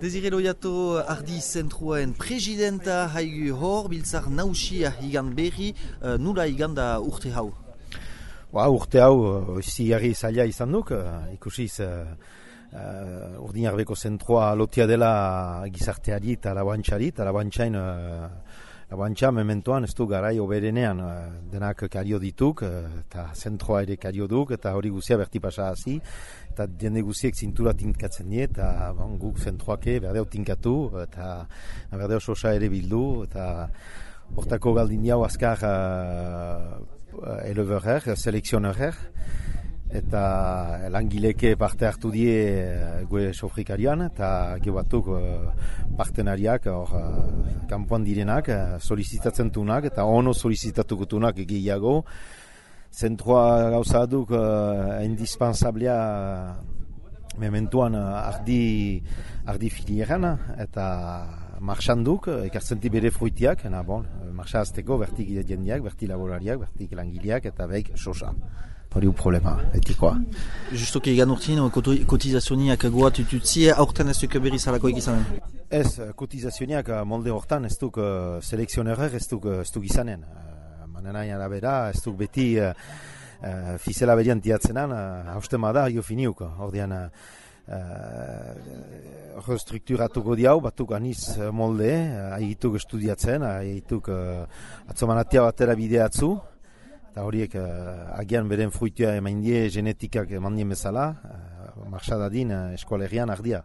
Desire Loiato Ardi Zentroen presidenta haigu hor, biltzar nausia higan berri, nula higan da urte hau? Urte hau, zigarri zaila izan duk, ikusiz Urdinarbeko zentroa lotia dela gizarteari eta labantxari, eta labantxa mementoan ez du garai oberenean denak kario dituk, eta zentroa ere kario duk, eta hori guzia berti pasa hazi, eta jende guziek zintura tinkatzen die, eta guk zentroake berdeo tinkatu, eta berdeo sosa ere bildu, eta hortako galdin jau azkar eleverer, selekzionerer, eta langileke parte hartu die gue sofrikarian, eta gero batuk partenariak kanpoan direnak, solizitatzen tunak, eta ono solizitatukutunak gehiago. Zentroa gauza duk indispensablea mementuan ardi filieran, eta marxan duk, ekartzenti bere fruitiak, marxa azteko bertik jendeak, bertik laborariak, bertik langileak, eta behik sosa. Hori problema, etikoa. Justoki egan urtien, kotizazioniak goat ututzi, aurten ez duk berriz alakoik izanen? Ez, kotizazioniak molde hortan ez duk selekzionerer ez duk izanen. Manenain arabera, ez duk beti fizela berian tiatzenan, hausten bada, jo finiuk. Ordean, strukturatuko diau, batuk aniz molde, haigituk estudiatzen, haigituk atzomanatia batera bideatzu, eta horiek agian beren fruitua emain die genetikak eman dien bezala, marxadadin eskualerian ardia.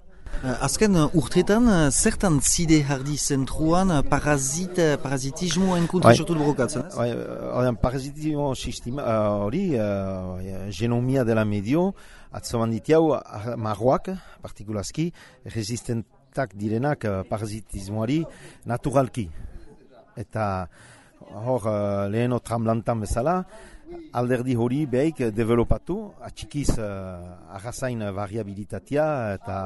Azken urtetan, zertan zide hardi zentruan parazitismoen kontra sortu borrokatzen? Parazitismo sistema hori, genomia dela medio, atzoman ditiau marroak, partikulazki, resistentak direnak parazitismoari naturalki. Eta hor leheno tramlantan bezala, alderdi hori behik developatu, atxikiz arrazain variabilitatea eta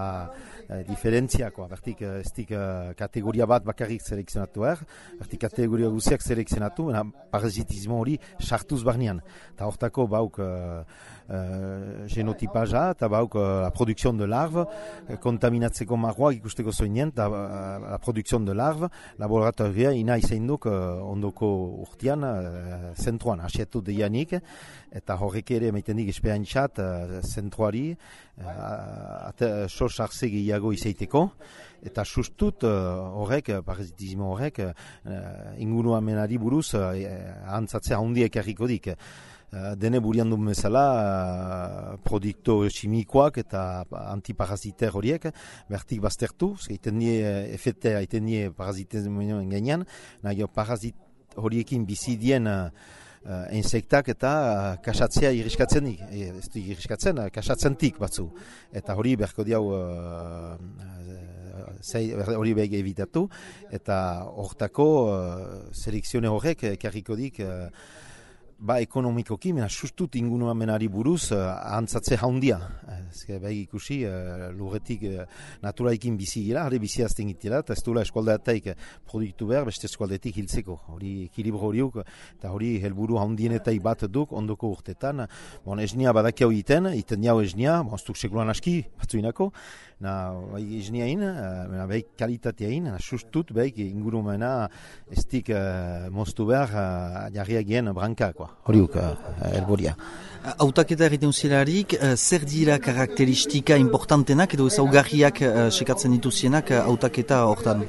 diferentziakoa. Bertik ez dik kategoria bat bakarrik selekzionatu bertik kategoria guziak selekzionatu, parazitismo hori sartuz barnean. Eta hortako bauk genotipaja eta bauk la produkzion de larve, kontaminatzeko marroak ikusteko zoinen, eta la produkzion de larve, laboratoria ina izain duk ondoko urtean, zentroan, asietu deianik, eta horrek ere maiten dik espeantzat zentroari, sos arze gehiago izaiteko, eta sustut horrek, parazitismo horrek, inguruamenari buruz antzatzea handiek erriko dik. Dene burian duen bezala produkto kimikoak eta antiparaziter horiek bertik baztertu, egiten die efetea, egiten die parazitezmoen gainean, nahi parazit horiekin bizidien insektak eta kasatzea irriskatzenik, ez du irriskatzen, kasatzentik batzu. Eta hori berko diau hori behik evitatu, eta hortako selekzione horrek ekarriko dik ekonomikoki, mena sustut inguruamenari buruz antzatze haundia. Behik ikusi, lurretik naturaikin bizi gira, hori bizi azten gitela, eta ez duela eskualdeataik produktu behar, beste eskualdetik hiltzeko. Hori ekilibro horiuk, eta hori helburu haundienetai bat duk, ondoko urtetan. Esnia badakiau iten jau esnia, ez duk sekulan aski, batzuinako, esniain, behik kalitateain, sustut behik ingurumena ez dik moztu behar jarriagien brankakoa. Horiuk helburia. Hautaketa egiten zilarik, zer dira karakteristika importantenak edo ezaugarriak sekatzen dituzienak hautaketa hortan?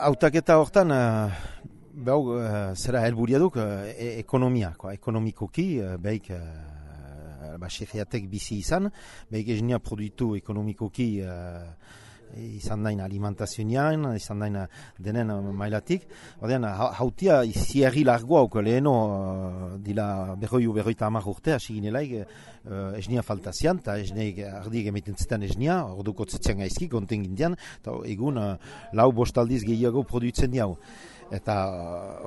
Hautaketa hortan, zera helburia duk, ekonomikoki, behik xerriatek bizi izan, behik esnia produktu ekonomikoki izan dain alimentazioan, izan dain denen mailatik. Ordean, hautia iziarri largoauk leheno dila berroita hamar urte, hasi ginelaik esnia faltazian, eta esneik ardiek emeten zetan esnia, orduko tzetzean gaizki, konten gindian, eta egun lau bostaldiz gehiago produitzen diau. Eta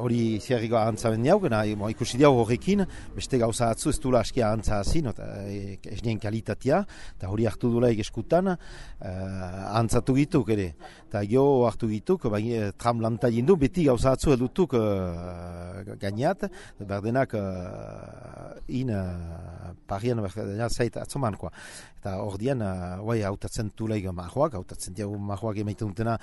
hori ziarriko ahantzaben diauk, ikusi diau horrekin, beste gauza atzu ez dula askia ahantza hazin, esnien kalitatea, eta hori hartu dulaik eskutan, ahantzatu gituk ere. Eta jo hartu gituk, tram lanta jindu, beti gauza atzu edutuk gainat, berdenak parian zait atzoman, eta hor dian, hautatzen tuleik marroak, hautatzen diago marroak emaiten dutena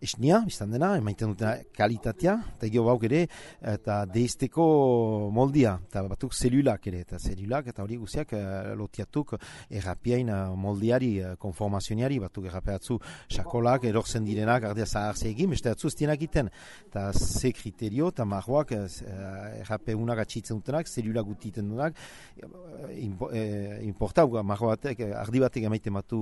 esnia, biztan dena, emaiten dutena kalitatea, eta gero bauk ere, eta deizteko moldia, eta batuk zelulak ere, eta hori guziak lotiatuk errapiain moldiari, konformazioniari, batuk errapeatzu sakolak, erortzen direnak, ardia zaharze egin, beste atzu ez dienak iten, eta ze kriterio, eta marroak errapeunak atxitzen dutenak, zelulak gutiten dutenak, importau, marro batek, ardi batek emaiten batu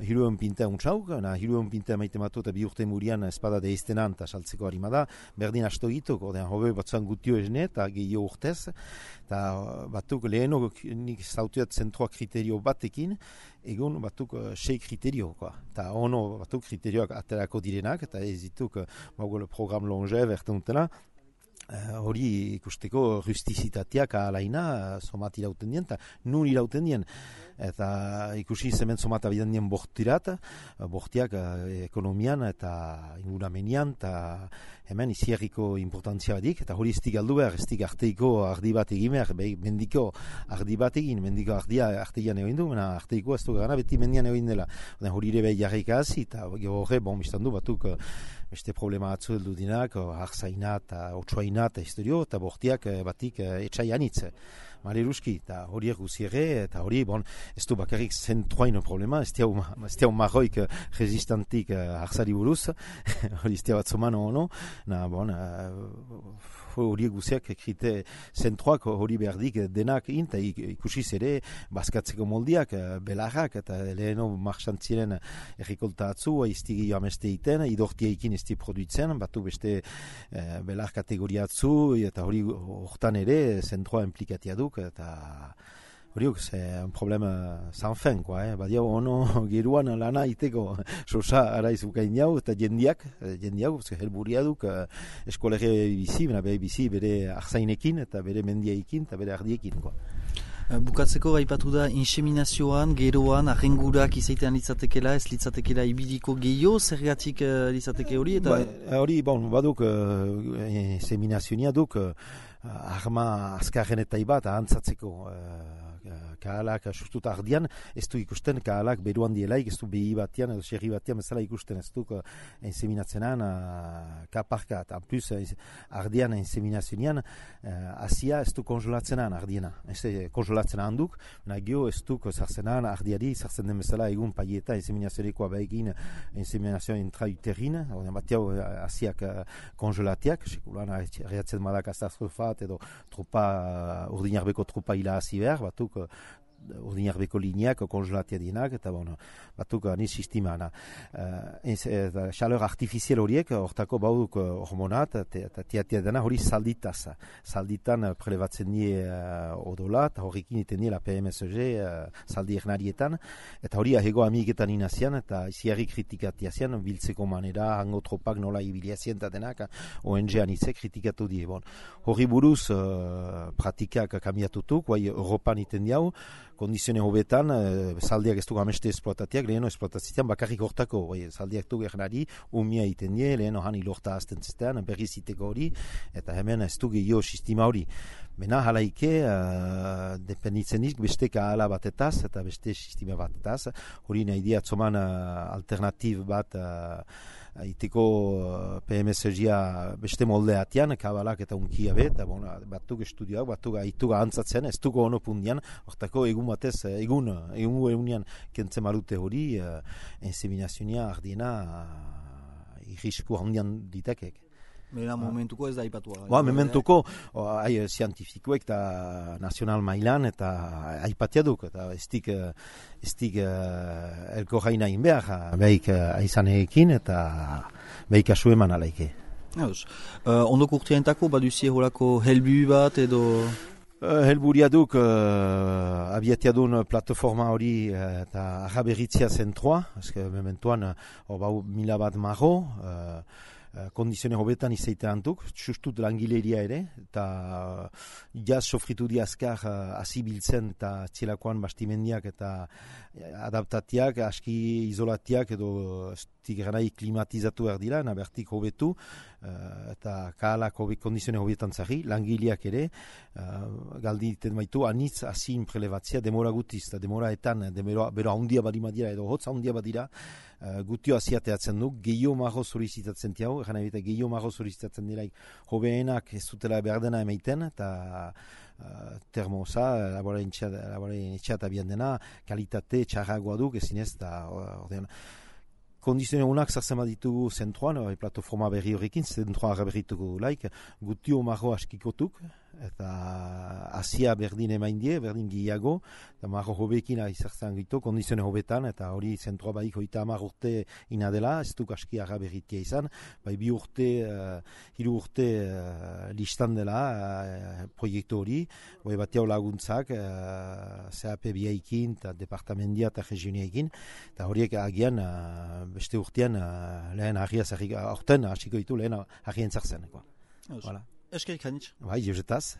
hirueun pinta untsauk, hirueun pinta emaiten batu eta bi urte murian espada deiztenan eta saltzeko harimada, berdin asto gituk, hobe batzuan gutio esne eta gehiago urtez, eta batuk leheno nik zautuat zentroa kriterio batekin, egun batuk 6 kriterio, eta ono batuk kriterioak aterako direnak, eta ez dituk program longev erten dutena, hori ikusteko rustizitateak alaina somat irauten dien, eta nun irauten dien. Eta ikusi zemen somat abidan dien bortirat, bortiak ekonomian eta inguramenian, eta hemen izierriko importantzia badik, eta hori estik aldu behar, estik arteiko ardi bat egin behar, mendiko ardi bat egin, mendiko ardia arteian egin du, arteiko ez du gana beti mendian egin dela. Hori ere behi jarrika hazi, eta horre, biztan du, batuk beste problema atzu heldu dinak, harzaina eta otsuaina eta historio, eta bortiak batik etxaian hitz. Maleruski, eta horiek guziere, eta hori, ez du bakarrik zentroain problema, ez diau marroik resistantik harzari buruz, hori ez diau batzoman ono, horiek guziak krite zentroak hori behardik denak eta ikusiz ere bazkatzeko moldiak, belarrak, eta leheno marxantziren errikolta atzu, iztigi ameste iten, idortiaikin ez di produitzen, batu beste belar kategoria atzu, eta hori hortan ere zentroa implikatia duk, eta horiok, un problema sans fin, badia ono geruan lana iteko sosa araiz ukain jau, eta jendiak, helburia duk eskolege bizi, bere arzainekin, eta bere mendiaikin, eta bere ardiekin, Bukatzeko gaipatu da inseminazioan, geroan, arrengurak izaitean litzatekela, ez litzatekela ibiliko gehiago, zergatik litzateke hori? Hori, baduk inseminazioa duk arma azkarren eta ibat ahantzatzeko kahalak sustut ardian, ez du ikusten kahalak beruan dielaik, ez du behi batian edo xerri batian bezala ikusten, ez du inseminatzenan kaparka, eta plus ardian inseminazioan azia ez du kongelatzenan ardiena, ez kongelatzenan handuk, nagio ez du zartzenan ardiari, zartzen den bezala egun paieta inseminazioekoa behin inseminazioa intrauterin, batiau aziak kongelatiak, sekulan reatzen madak astazrofat edo urdinarbeko trupa hila hazi behar, batuk urdinarbeko lineak kongelatia dienak, eta batuk ni sistemana. Chaleur artifizial horiek, hortako bauduk hormonat, eta tiatia dena hori zalditaz. Zalditan prelebatzen die odola, eta horrekin iten die la PMSG zaldi ernarietan, eta hori ahego amiketan inazian, eta iziarri kritikatiazian, biltzeko manera, hango tropak nola ibiliazien eta denak, ONG-an itze kritikatu die. Hori buruz pratikak kambiatutuk, guai Europan iten diau, kondizione hobetan, zaldiak ez dugu ameste esploatatiak, leheno esploatazitean bakarrik hortako, zaldiak dugu ernari, umia iten die, leheno han ilorta azten zitean, berriz iteko hori, eta hemen ez dugu gehiago sistema hori. Bena halaike, dependitzen dik, beste kahala batetaz, eta beste sistema batetaz, hori nahi diatzoman alternatib bat, iteko PMSG-a beste moldeatian, kabalak eta unkia bet, batuk estudioak, batuk aituga antzatzen, ez dugu ono pundian, hortako egun batez, egunean kentzen marute hori, inseminazioa ardiena irrisku handian ditakek. Bera momentuko ez da aipatua. Momentuko, zientifikoek eta nazional mailan eta aipatia duk, eta ez dik elko jaina inbehar, behik aizaneekin eta behik asu eman alaike. Ondoko urteantako, baduzie horako helbu bat edo... Helburia duk abiatia duen plataforma hori eta araberitzia zentroa, mementuan 1000 bat marro, kondizione hobetan izaita antuk, sustut langileria ere, eta jaz sofritu di azkar azibiltzen eta txelakoan bastimendiak eta adaptatiak, aski izolatiak edo tigeranai klimatizatu behar dira, nabertik hobetu, eta kahalak kondizione hobetan zari, langileak ere, galdi iten baitu, anitz azin prelebatzea, demora gutiz, eta demoraetan, bero handia badima dira, edo hotz handia badira, gutio aziateatzen du, gehiago mago solicitatzen tiago, gana ebita gehiago mago solicitatzen diraik hobeenak ez dutela behar dena emaiten, eta termoza, laboren etxeat abian dena, kalitate txarragoa duk, ezinez, eta kondizione honak zartzen ditugu zentroan, plataforma berri horrekin, zentroa berrituko laik, gutio mago askikotuk, eta Asia berdin emaindie, berdin gehiago, eta mago hobekin izartzen gitu, kondizione hobetan, eta hori zentroa baik hoita 10 urte inadela, ez duk aski arra berritia izan, bai 2 urte, 3 urte listan dela proiektu hori, bai batiau laguntzak, CAP biaikin, eta departamendia eta regioniaikin, eta horiek agian beste urtean lehen harriaz, aurten hasiko ditu lehen harrien zartzen. Eskerik hanitz. Bai, jozetaz.